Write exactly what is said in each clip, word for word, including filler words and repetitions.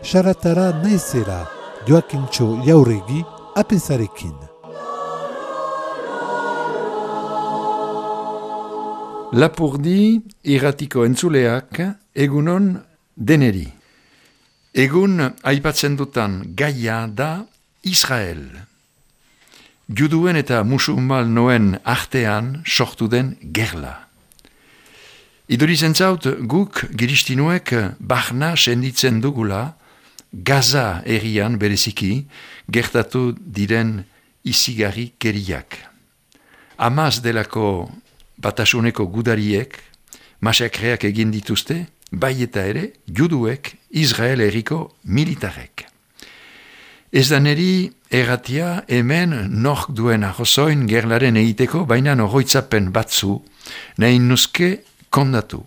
Saratara naizela, Joakintxo Jauregi, apezarekin. Lapurdi irratiko entzuleak egunon deneri. Egun aipatzen dutan gaia da Israel. Juduen eta musulmanoen artean sortu den gerla. Idurizen zaut guk giristinuek barna senditzen dugula Gaza herrian bereziki gertatu diren izigarri keriak. Amaz delako batasuneko gudariek masakreak egin dituzte, bai eta ere juduek Israel herriko militarek. Ez da neri erratia hemen nork duen arrozoin gerlaren egiteko, baina oroitzapen batzu nahi nuzke kondatu.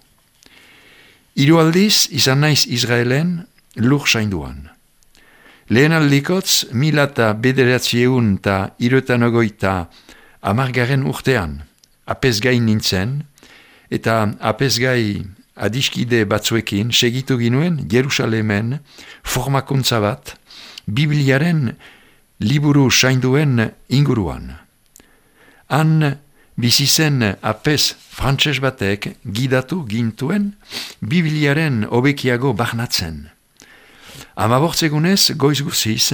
Hiru aldiz izan naiz Israelen lur sainduan. Lehen aldikotz mila eta bederatziehun eta hiruetan ogoita hamargarren urtean apezgai nintzen, eta apezgai adiskide batzuekin segitu ginuen Jerusalemen formakuntza bat Bibliaren liburu sainduen inguruan. Han bizizen apez frantses batek gidatu gintuen Bibliaren hobekiago barnatzen. Hamabortzegunez goiz guziz,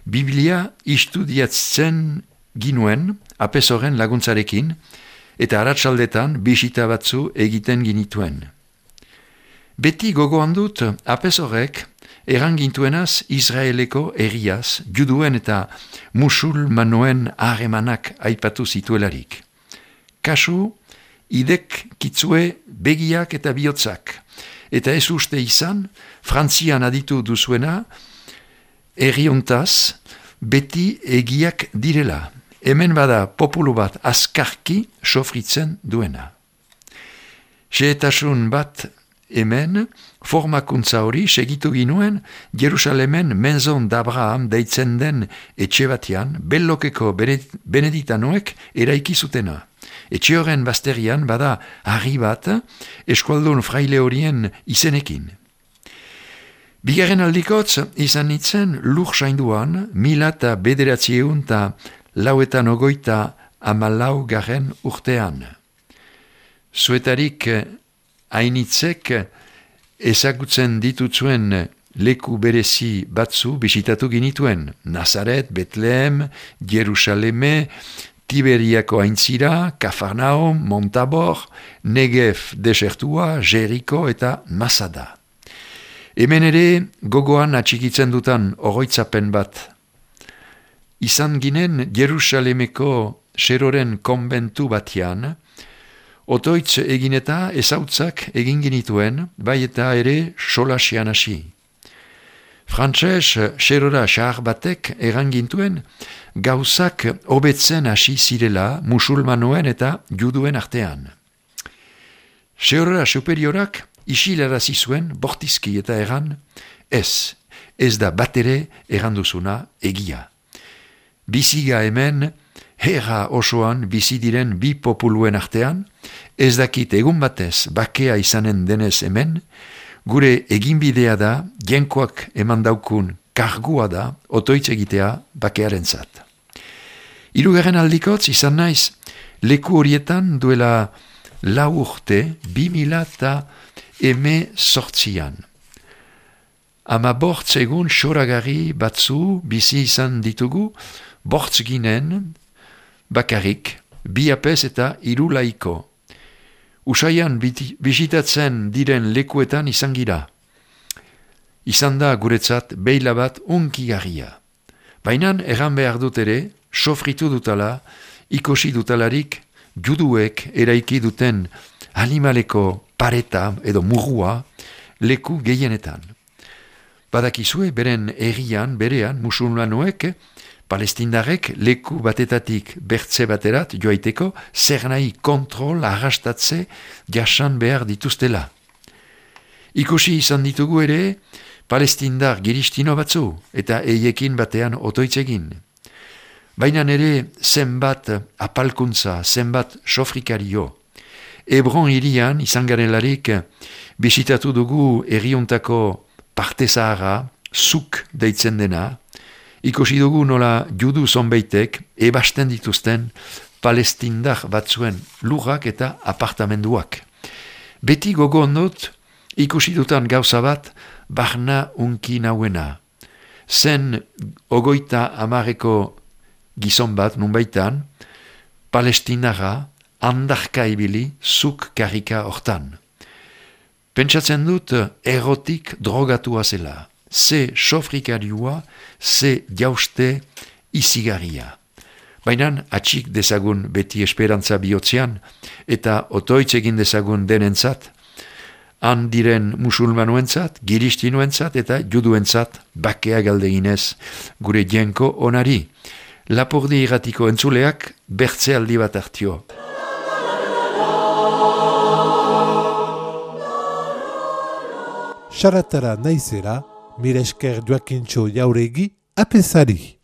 Biblia istudiatzen ginuen apez horren laguntzarekin, eta aratsaldetan bisita batzu egiten ginituen. Beti gogoan dut apez horrek erangintuenaz Israeleko herriaz, juduen eta musulmanoen harremanak aipatu zituelarik. Kasu, idek kitzue begiak eta bihotzak, eta ez uste izan, Frantzian aditu duzuena, herriontaz beti egiak direla. Hemen bada populu bat azkarki sofritzen duena. Xehetasun bat hemen, formakuntza hori segitu ginuen Jerusalemen Menzon d'Abraham deitzen den etxe batean bellokeko beneditanoek eraiki zutena. Etxe horren bazterian bada harri bat eskualdun fraile horien izenekin. Bigarren aldikotz izan nitzen lur sainduan mila eta bederatzieun eta lauetan ogoita amalau garen urtean. Zuetarik hainitzek ezagutzen ditutzuen leku berezi batzu bisitatu ginituen. Nazaret, Betlehem, Jerusaleme, Tiberiako aintzira, Kafarnaum, Montabor, Negev desertua, Jeriko eta Masada. Hemen ere gogoan atxikitzen dutan oroitzapen bat. Izan ginen Jerusalemeko Seroren konbentu batean, otoitz egin eta ezautzak egin ginituen, bai eta ere solasian hasi. Frantses Serora xahar batek erangintuen gauzak hobetzen hasi zirela musulmanoen eta juduen artean. Serora superiorak isilarazi zuen bortizki eta eran, ez, ez da batere eranduzuna egia. Biziga hemen, herra osoan bizi diren bi populuen artean, ez dakit egun batez bakea izanen denez hemen, gure eginbidea da, jenkoak eman daukun kargua da, otoitz egitea bakearen zat. Hirugarren aldikotz izan naiz, leku horietan duela lau urte, bi mila eta eme sortzian. Ama bortz egun soragarri batzu bizi izan ditugu, bortz ginen, bakarrik, bi apez eta hiru laiko. Usaian bisitatzen diren lekuetan izan gira. Izan da guretzat beila bat unkigarria. Bainan erran behar dut ere, sofritu dutala, ikosi dutalarik, juduek eraiki duten animaleko pareta edo murrua leku gehienetan. Badakizue beren herrian, berean, musulmanoek, palestindarek leku batetatik bertze baterat joaiteko zer nahi kontrol arrastatze jasan behar dituztela. Ikusi izan ditugu ere palestindar giristino batzu eta eiekin batean otoitzegin. Baina ere zenbat apalkuntza, zenbat sofrikario. Hebron hirian izan garelarik bisitatu dugu herriontako parte zaharra, zuk deitzen dena, ikusi dugu nola judu zonbeitek ebasten dituzten palestindar batzuen lurrak eta apartamenduak. Beti gogo ondot, ikusi dutan gauza bat, barna unki nauena. Zen ogoita amareko gizon bat nunbaitan, palestinara andarka ibili zuk karrika hortan. Pentsatzen dut erotik drogatua zela. Ze sofrikarioa, ze jauste izigarria. Baina atxik dezagun beti esperantza bihotzean eta otoitz egin dezagun denentzat, han diren musulmanuentzat, giristinuentzat eta juduentzat bakea galdeginez gure jenko onari. Lapurdi irratiko entzuleak bertze aldi bat hartio. Saratara naizera, mire esker Joakintxo Jauregi apesari.